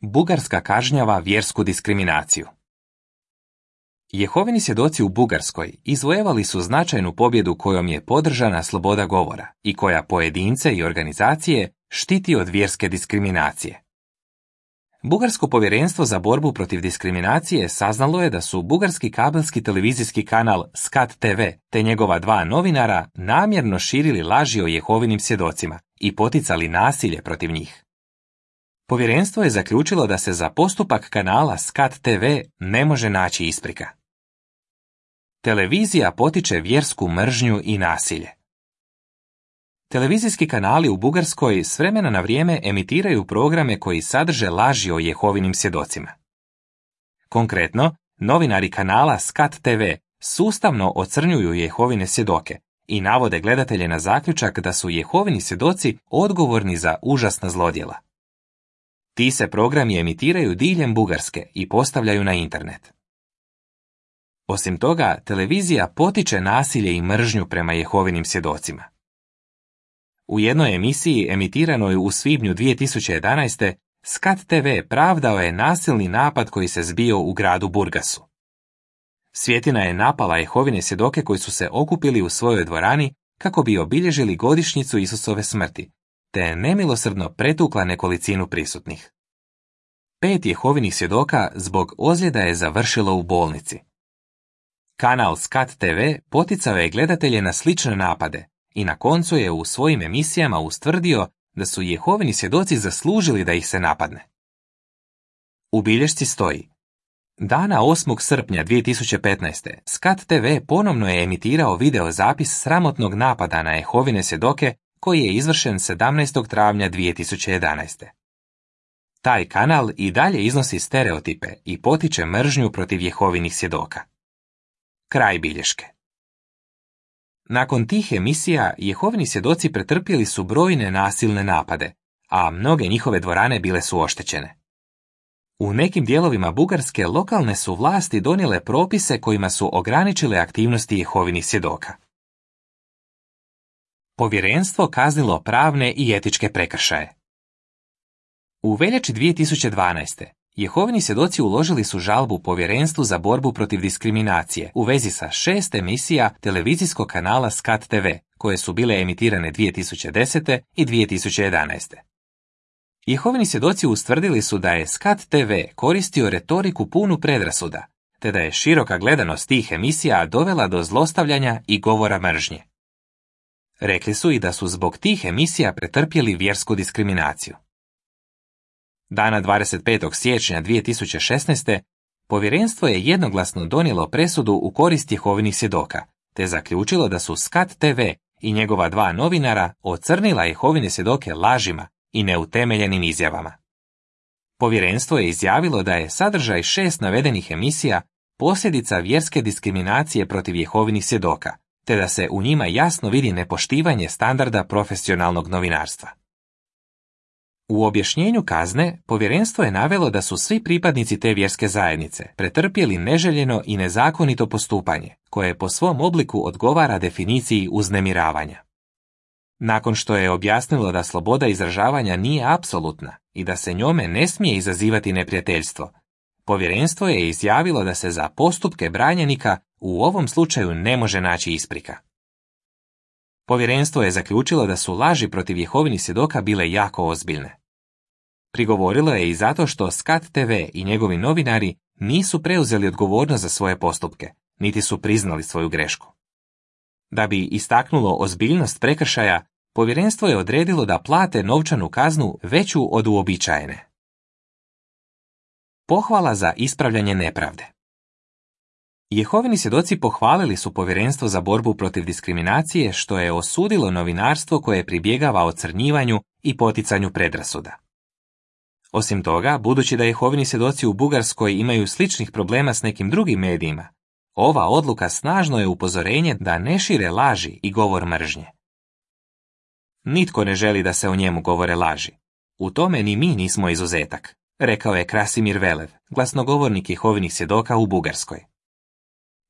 Bugarska kažnjava vjersku diskriminaciju. Jehovini svjedoci u Bugarskoj izvojevali su značajnu pobjedu kojom je podržana sloboda govora i koja pojedince i organizacije štiti od vjerske diskriminacije. Bugarsko povjerenstvo za borbu protiv diskriminacije saznalo je da su bugarski kabelski televizijski kanal Skat TV te njegova 2 novinara namjerno širili laži o Jehovinim svjedocima i poticali nasilje protiv njih. Povjerenstvo je zaključilo da se za postupak kanala Skat TV ne može naći isprika. Televizija potiče vjersku mržnju i nasilje. Televizijski kanali u Bugarskoj s vremena na vrijeme emitiraju programe koji sadrže laži o Jehovinim svjedocima. Konkretno, novinari kanala Skat TV sustavno ocrnjuju Jehovine svjedoke i navode gledatelje na zaključak da su Jehovini svjedoci odgovorni za užasna zlodjela. Ti se programi emitiraju diljem Bugarske i postavljaju na internet. Osim toga, televizija potiče nasilje i mržnju prema Jehovinim svjedocima. U jednoj emisiji emitiranoj u svibnju 2011. Skat TV pravdao je nasilni napad koji se zbio u gradu Burgasu. Svjetina je napala Jehovine svjedoke koji su se okupili u svojoj dvorani kako bi obilježili godišnjicu Isusove smrti, te je nemilosrdno pretukla nekolicinu prisutnih. 5 Jehovinih svjedoka zbog ozljeda je završilo u bolnici. Kanal Skat TV poticao je gledatelje na slične napade i na koncu je u svojim emisijama ustvrdio da su Jehovini svjedoci zaslužili da ih se napadne. U bilješci stoji: dana 8. srpnja 2015. Skat TV ponovno je emitirao video zapis sramotnog napada na Jehovine svjedoke koji je izvršen 17. travnja 2011. Taj kanal i dalje iznosi stereotipe i potiče mržnju protiv Jehovinih svjedoka. Kraj bilješke. Nakon tih emisija, Jehovini svjedoci pretrpjeli su brojne nasilne napade, a mnoge njihove dvorane bile su oštećene. U nekim dijelovima Bugarske lokalne su vlasti donijele propise kojima su ograničile aktivnosti Jehovinih svjedoka. Povjerenstvo kaznilo pravne i etičke prekršaje. U veljači 2012. Jehovini svjedoci uložili su žalbu Povjerenstvu za borbu protiv diskriminacije u vezi sa 6 emisija televizijskog kanala Skat TV, koje su bile emitirane 2010. i 2011. Jehovini svjedoci ustvrdili su da je Skat TV koristio retoriku punu predrasuda, te da je široka gledanost tih emisija dovela do zlostavljanja i govora mržnje. Rekli su i da su zbog tih emisija pretrpjeli vjersku diskriminaciju. Dana 25. siječnja 2016. povjerenstvo je jednoglasno donijelo presudu u korist Jehovinih svjedoka, te zaključilo da su Skat TV i njegova 2 novinara ocrnila Jehovine svjedoke lažima i neutemeljenim izjavama. Povjerenstvo je izjavilo da je sadržaj 6 navedenih emisija posljedica vjerske diskriminacije protiv Jehovinih svjedoka, te da se u njima jasno vidi nepoštivanje standarda profesionalnog novinarstva. U objašnjenju kazne, povjerenstvo je navelo da su svi pripadnici te vjerske zajednice pretrpjeli neželjeno i nezakonito postupanje, koje po svom obliku odgovara definiciji uznemiravanja. Nakon što je objasnilo da sloboda izražavanja nije apsolutna i da se njome ne smije izazivati neprijateljstvo, povjerenstvo je izjavilo da se za postupke branjenika u ovom slučaju ne može naći isprika. Povjerenstvo je zaključilo da su laži protiv Jehovinih svjedoka bile jako ozbiljne. Prigovorilo je i zato što Skat TV i njegovi novinari nisu preuzeli odgovornost za svoje postupke, niti su priznali svoju grešku. Da bi istaknulo ozbiljnost prekršaja, povjerenstvo je odredilo da plate novčanu kaznu veću od uobičajene. Pohvala za ispravljanje nepravde. Jehovini svjedoci pohvalili su Povjerenstvo za borbu protiv diskriminacije što je osudilo novinarstvo koje pribjegava ocrnjivanju i poticanju predrasuda. Osim toga, budući da Jehovini svjedoci u Bugarskoj imaju sličnih problema s nekim drugim medijima, ova odluka snažno je upozorenje da ne šire laži i govor mržnje. Nitko ne želi da se o njemu govore laži. U tome ni mi nismo izuzetak, rekao je Krasimir Velev, glasnogovornik Jehovinih svjedoka u Bugarskoj.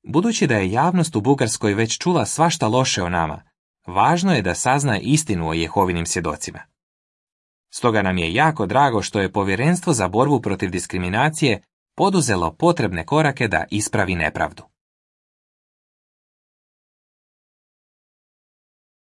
Budući da je javnost u Bugarskoj već čula svašta loše o nama, važno je da sazna istinu o Jehovinim svjedocima. Stoga nam je jako drago što je Povjerenstvo za borbu protiv diskriminacije poduzelo potrebne korake da ispravi nepravdu.